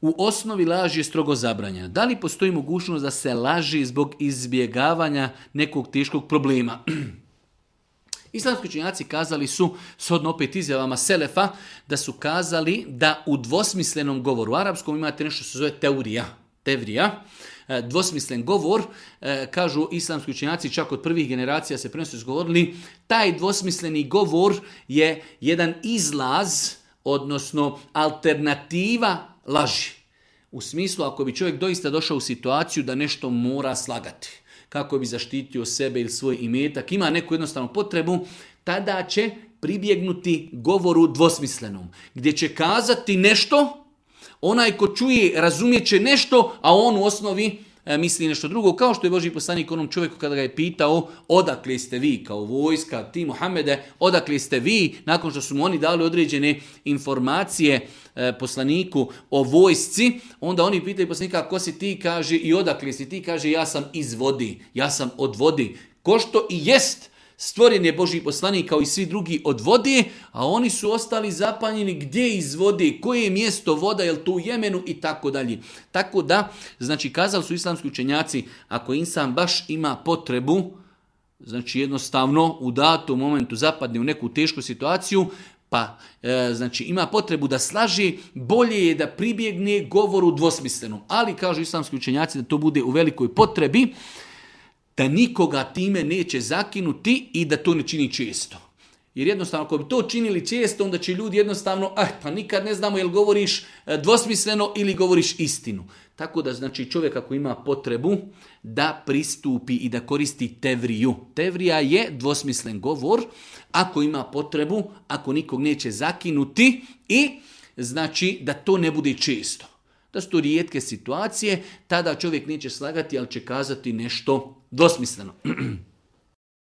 U osnovi laž je strogo zabranjena. Da li postoji mogućnost da se laži zbog izbjegavanja nekog teškog problema? Islamski učenjaci kazali su, shodno opet izjavama Selefa, da su kazali da u dvosmislenom govoru, u arapskom imate nešto što se zove tevrija, dvosmislen govor, kažu islamski učenjaci, čak od prvih generacija se prenosi izgovorili, taj dvosmisleni govor je jedan izlaz, odnosno alternativa laži. U smislu, ako bi čovjek doista došao u situaciju da nešto mora slagati, kako bi zaštitio sebe ili svoj imetak, ima neku jednostavnu potrebu, tada će pribjegnuti govoru dvosmislenom, gdje će kazati nešto, onaj ko čuje razumijet će nešto, a on u osnovi misli nešto drugo, kao što je Božji poslanik onom čovjeku kada ga je pitao odakle ste vi kao vojska, ti Muhammede, odakle ste vi, nakon što su mu oni dali određene informacije poslaniku o vojsci, onda oni pitaju poslanika ko si ti, kaže, i odakle si ti, kaže ja sam iz vodi, ja sam od vodi, ko što i jest. Stvoren je Božji poslanik kao i svi drugi od vode, a oni su ostali zapanjeni gdje iz vode, koje je mjesto voda, je li to u Jemenu i tako dalje. Tako da, znači kazali su islamski učenjaci, ako insan baš ima potrebu, znači jednostavno u datom momentu zapadne u neku tešku situaciju, pa znači ima potrebu da slaži, bolje je da pribjegne govoru dvosmislenom. Ali kažu islamski učenjaci da to bude u velikoj potrebi, da nikoga time neće zakinuti i da to ne čini često. Jer jednostavno, ako bi to činili često, onda će ljudi jednostavno, pa nikad ne znamo jel govoriš dvosmisleno ili govoriš istinu. Tako da, znači, čovjek ako ima potrebu da pristupi i da koristi tevriju. Tevrija je dvosmislen govor, ako ima potrebu, ako nikog neće zakinuti i znači da to ne bude često. Da su to rijetke situacije, tada čovjek neće slagati, ali će kazati nešto dvosmisleno.